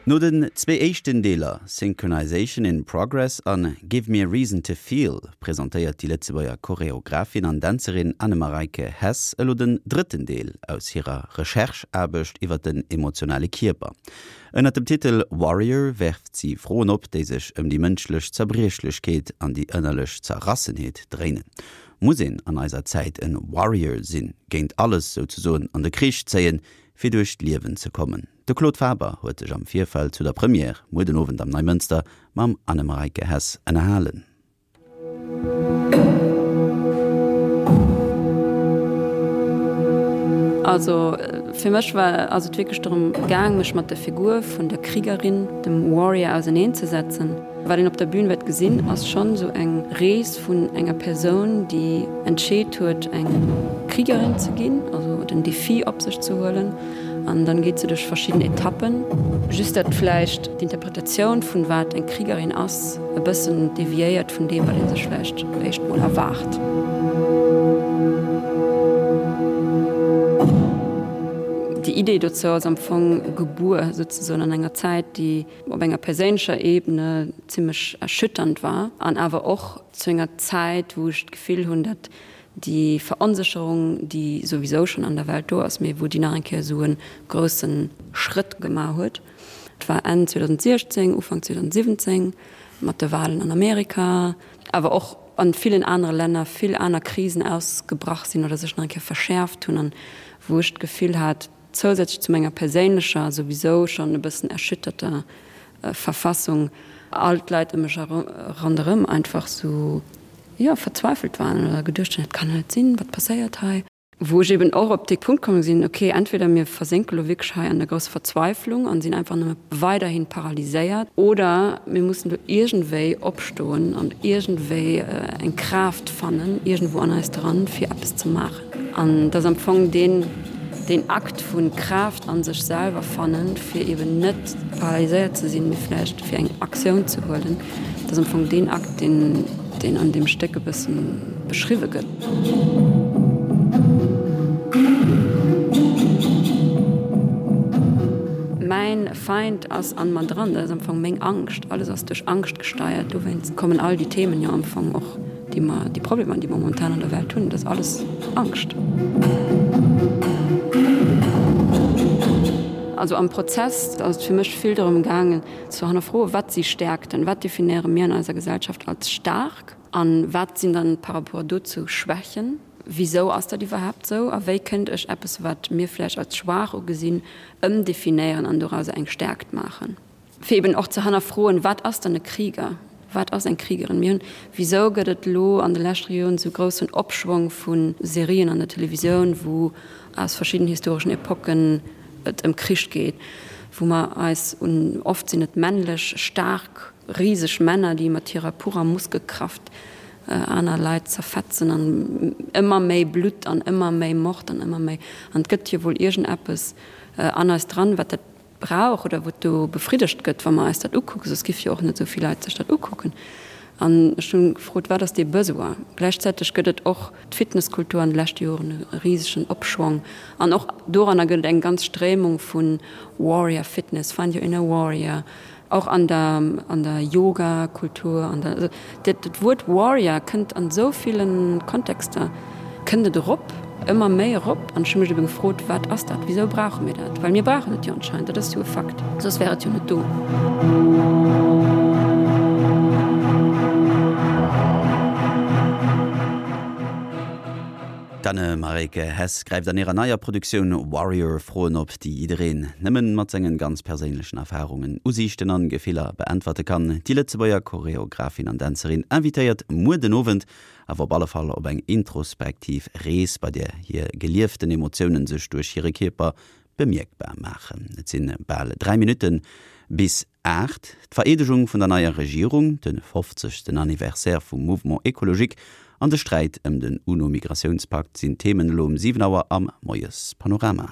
No den zwee éischten Deeler Synchronization in Progress an Give Me a Reason to Feel presentéiert déi Lëtzebuerger Choreographin an Dänzerin Anne-Mareike Hess elo den drëtten Deel aus hirer Recherche-Aarbecht iwwer den emotionale Kierper. Ënnert dem Titel Warrior werft si Froen op, déi sech ëm déi mënschlech Zerbriechlechkeet an déi ënnerlech Zerrassenheet dréinen. Muss een an eiser Zäit en Warrior sinn, géint alles souzesoen an de Krich zéien, fir duerch d'Liewen ze kommen? De Claude Faber huet sech am Virfeld zu der Première muer den Owend am Neimënster mam Anne-Mareike Hess ënnerhalen. Also fir mech war ass et wierklech dorëm gaang, mech mat der Figur vun der Kriegerin, dem Warrior auseneen ze setzen. Wat een op der Bühn wäert gesinn, ass schonn esou eng Rees vun enger Persoun, déi entscheet huet, eng Kriegerin ze ginn, also den Defi op sech ze huelen. An dann geet se duerch verschidden Etappen. Just dat vläicht d'Interpretatioun vun wat eng Kriegerin ass, e bëssen deviéiert vun deem, wat ee sech vläicht éischt mol erwaart. Déi Idee dozou ass am Fong gebuer souzesoen an enger Zäit, déi op enger perséinlecher Ebene zimmlech erschütternd war an awer och zu enger Zäit, wou ech d'Gefill hunn, datt déi Veronsécherung, déi souwisou schonn an der Welt do ass, mee wou déi nach eng Kéier esou e grousse Schrëtt gemaach huet. Et war Enn 2016, Ufank 2017 mat de Wahlen an Amerika, awer och an villen anere Länner vill aner Krisen ausgebrach sinn oder sech nach eng Kéier verschäerft hunn an wou ech d'Gefill hat, Zousätzlech zu menger perséinlecher, souwisou schonn e bëssen erschütterter Verfassung, all d'Leit ëm mech ronderëm einfach sou, jo, verzweifelt waren oder geduecht hunn, dat kann jo net sinn, wat passéiert hei? Wou ech eben och op dee Punkt komm sinn, ok, entweder mir versénke lo wierklech hei an der grousser Verzweiflung an sinn einfach nëmme weiderhin paralyséiert, oder mir mussen do iergendwéi opstoen an iergendwéi eng Kraaft fannen, iergendwou an eis dran, fir eppes ze maachen. An et ass am Fong deen, deen Akt vu Kraaft a sech selwer fannen, fir eben net paralyséiert ze sinn, mee vläicht fir eng Aktioun ze huelen, dat ass am Fong deen Akt, deen, deen an deem Stéck e bësse beschriwwe gëtt. Mäin Feind ass an mer dran, dat ass am Fong meng Angscht. Alles ass duerch Angscht gesteiert, dowéinst kommen all déi Themen jo am Fong och. Déi mer, déi Problemer, déi mer momentan an der Welt hunn, dat ass alles Angscht. Also am Prozess ass et fir mech vill dorëm gaangen ze hannerfroen, wat si Stärkten, wat definéiere mir an eiser Gesellschaft als staark a wat sinn dann par rapport dozou Schwächen? Wisou ass dat iwwerhaapt esou a wéi kënnt ech eppes, wat mir vläicht als schwaach ugesinn, ëmdefinéieren an dorauser eng Stärkt maachen? Fir eben och ze hannerfroen, wat ass dann e Krieger, wat ass eng Kriegerin? Mir hunn, wisou gëtt et elo an de leschte Joren esou groussen Opschwong vu Serien an der Televisioun, wou aus verschidden historeschen Epocken et ëm Krich geet, wou mer eis un, oft sinn et männlech, staark, riseg Männer, déi mat hirer purer Muskelkraft aner Leit zerfetzen an ëmmer méi Blutt an ëmmer méi Mord an ëmmer méi, an et gëtt jo wuel iergendeppes an eis dran, wat dat brauch oder wou do befriddegt gëtt, wa mer eis dat ukucken, soss giff jo och net esou vill Leit sech dat ukucken. An ech hunn gefrot, wat ass dee Besoin? Gläichzäiteg gëtt et och d'Fitnesskultur an de leschte Joren e risegen Opschwong an och doranner gëtt et eng ganz Stréimung vu Warrior Fitness, Find your inner warrior, Och an der, an der Yoga-Kultur, an der, also dat, dat Wuert Warrior kënnt an esou ville Kontexter, kënnt et erop, ëmmer méi erop. An ech hu mech ebe gefrot, Wat ass dat? Wisou brauche mir dat? Well mir brauchen et jo anscheinend, dat ass jo e Fakt, soss wär et jo net do. D'Anne-Mareike Hess gräift an hirer neier Produktioun Warrior Froen op, déi jiddereen nëmmen mat sengen ganz perséinlechen Erfarungen, Usiichten an Gefiller beäntwerte kann. Déi Lëtzebuerger Choreographin an Dänzerin invitéiert muer den Owend awer op alle Fall op eng introspektiv Rees, bei där hir gelieften Emotiounen sech duerch hire Kierper bemierkbar maachen. Et sinn bal 3 Minutten bis 8. D'Vereedegung vun der neier Regierung, de 50. Anniversaire vum Mouvement Ecologique an de Sträit ëm den UNO-Migratiounspakt sinn d'Themen elo um 7 Auer am Moiespanorama.